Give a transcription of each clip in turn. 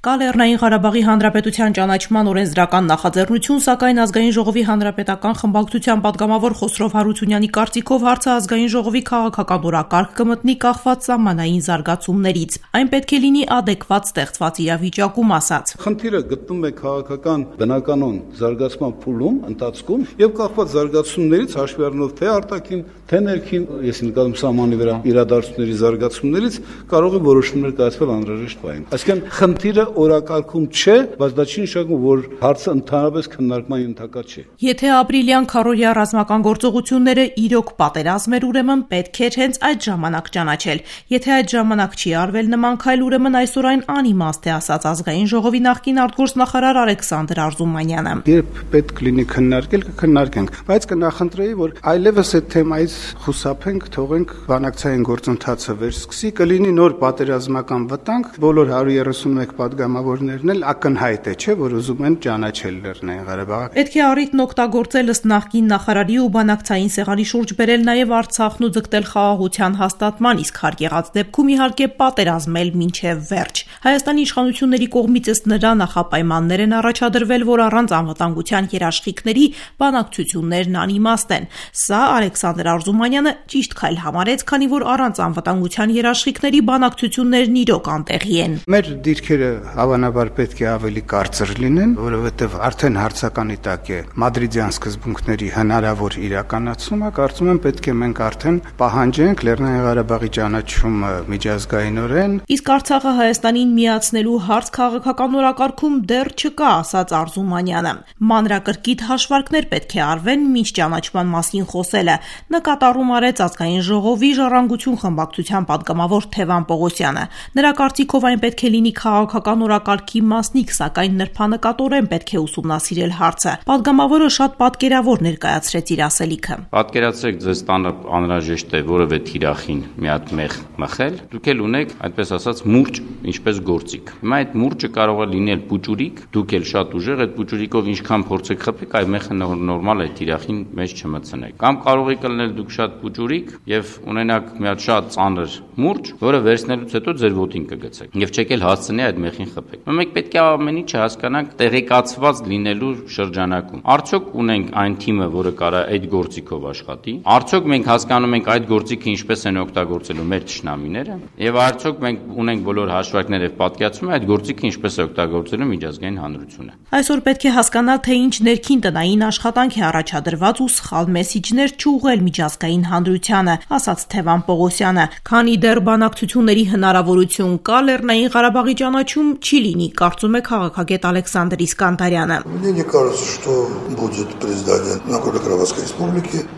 Կա Լեռնային Ղարաբաղի Հանրապետության ճանաչման օրենսդրական նախաձեռնություն, սակայն Ազգային ժողովի հանրապետական խմբակցության պատգամավոր Խոսրով Հարությունյանի կարծիքով հարցը Ազգային ժողովի քաղաքական օրակարգ կմտնի կախված սահմանային զարգացումներից։ Այն պետք է լինի ադեկվատ ստեղծված իրավիճակում, ասաց։ Խնդիրը գտնվում է քաղաքական բնականոն զարգացման փուլում, ընթացքում եւ կախված զարգացումներից հաշվի առնելով թե արտաքին, թե ներքին, ես նկատում սահմանի վրա իրադարձությունների զարգացումներից կարող է որոշումներ կայացվել անհրաժեշտ բային։ Այսինքն խնդիրը օրակարգում չէ, բայց դա չի նշանակում, որ հարցը ընդհանրապես քննարկման ենթակա չէ։ Եթե ապրիլյան քարոզիա ռազմական գործողությունները իրոք պատերազմ էր, ուրեմն պետք էր հենց այդ ժամանակ ճանաչել։ Եթե այդ ժամանակ չի արվել նման քայլ, ուրեմն այսօր այն անիմաստ է, ասաց Ազգային ժողովի նախկին արտգործնախարար Ալեքսանդր Արզումանյանը։ Երբ պետք լինի քննարկել, կքննարկենք, բայց կնախընտրեի, որ այլևս այդ թեմայից խուսափենք, թողենք բանակցային գործընթացը վերսկսի, կլինի նոր պատերազմական վտանգ, բոլոր 131 պատգամավորներն էլ ակնհայտ է, չէ, որ ուզում են ճանաչել Լեռնային Ղարաբաղը։ Պետք է առիթն օգտագործել ըստ նախկին նախարարի ու բանակցային սեղանի շուրջ բերել նաև Արցախն ու ձգտել խաղաղության հաստատման, իսկ հարկ եղած դեպքում իհարկե պատերազմել մինչև վերջ։ Հայաստանի իշխանությունների կողմից ըստ նրա նախապայմաններ են առաջադրվել, որ առանց անվտանգության երաշխիքների բանակցություններն անիմաստ են։ Սա Ալեքսանդր Արզումանյանը ճիշտ քայլ համարեց, քանի որ առանց անվտանգության երաշխիքների բանակցություններն իրոք անտեղի են։ Մեր դիրքերը հավանաբար պետք է ավելի կարծր լինեն, որովհետև արդեն հարցականի տակ է մադրիդյան սկզբունքների հնարավոր իրականացումը, կարծում եմ պետք է մենք արդեն պահանջենք Լեռնային Ղարաբաղի ճանաչումը միջազգայինորեն։ Իսկ Արցախը Հայաստանին միացնելու հարց քաղաքական օրակարգում դեռ չկա, ասաց Արզումանյանը։ Մանրակրկիտ հաշվարկներ պետք է արվեն մինչ ճանաչման մասին խոսելը, նկատառում արեց Ազգային ժողովի ժառանգություն խմբակցության պատգամավոր Թևան Պողոսյանը։ Նրա կարծիքով այն պետք է լինի քաղաքական օրակարգի մասնիկ, սակայն նրբանկատորեն պետք է ուսումնասիրել հարցը։ Պատգամավորը շատ պատկերավոր ներկայացրեց իր ասելիքը։ Պատկերացրեք, ձեզ տանը անհրաժեշտ է որևէ թիրախին մի հատ մեղ մխել, դուք էլ ունեք, այդպես ասած, մուրճ, ինչպես գործիք։ Հիմա այդ մուրճը կարող է լինել պուճուրիկ, դուք էլ շատ ուժեղ այդ պուճուրիկով ինչքան փորձեք խփեք, այ մեղը նորմալ է թիրախին մեջ չմցնեք։ Կամ կարող եք լինել դուք շատ պուճուրիկ եւ ունենաք մի հատ շատ ծանր մուրճ, որը վերցնելուց հետո ձեր ոտին կգցեք եւ չեք էլ հասցնի այդ մեղին խփեք։ Մենք պետք է ամեն ինչը հասկանանք տեղեկացված լինելու շրջանակում։ Արդյոք ունենք այն թիմը, որը կարա այդ գործիքով աշխատի։ Արդյոք մենք հասկանում ենք այդ գործիքը ինչպես են օգտագործելու մեր թշնամիները, եւ արդյոք մենք ունենք բոլոր հաշվարկները եւ պատկերացումը այդ գործիքը ինչպես է օգտագործելու միջազգային հանրությունը։ Այսօր պետք է հասկանալ, թե ինչ ներքին տնային աշխատանք է առաջադրված ու սխալ մեսիջներ չուղղել միջազգային հանրությանը, ասաց Թևան Պողոսյանը։ Քանի դեռ բանակցությունների հնարավորություն կա, Լեռնային Ղարաբաղի ճանաչում չի լինի, կարծում է քաղաքագետ Ալեքսանդր Իսկանդարյանը։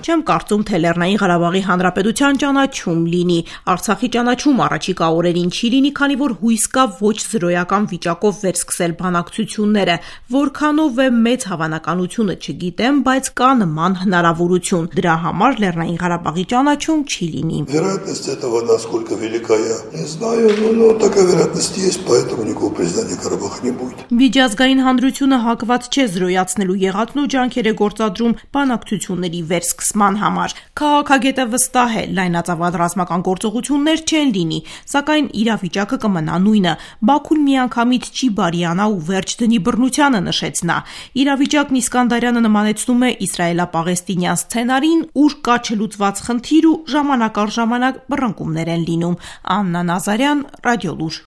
Չեմ կարծում, թե Լեռնային Ղարաբաղի Հանրապետության ճանաչում լինի։ Արցախի ճանաչում առաջիկա օրերին չի լինի, քանի որ հույս կա ոչ զրոյական վիճակով վերսկսել բանակցությունները։ Որքանով է մեծ հավանականությունը չգիտեմ, բայց կա նման հնարավորություն։ Դրա համար Լեռնային Ղարաբաղի ճանաչում չի լինի։ Вероятность этого насколько велика, я не знаю, но такая вероятность есть, поэтому никакого президента Карабаха не будет. Միջազգային հանրությունը հակված չէ զրոյացնելու եղածն ու ջանքեր է գործադրում բանակցությունների վերսկսման համար։ Քաղաքագետը վստահ է, լայնածավալ ռազմական գործողություններ չեն լինի, սակայն իրավիճակը կմնա նույնը։ Բաքուն միանգամից չի բարիանա ու վերջ դնի բռնությանը, նշեց նա։ Իրավիճակն Իսկանդարյանը նմանեցնում է իսրայելա-պաղեստինյան սցենարին, ուր կա չլուծված խնդիր ու ժամանակ առ ժամանակ բռնկումներ են լինում։ Աննա Նազարյան, Ռադիոլուր։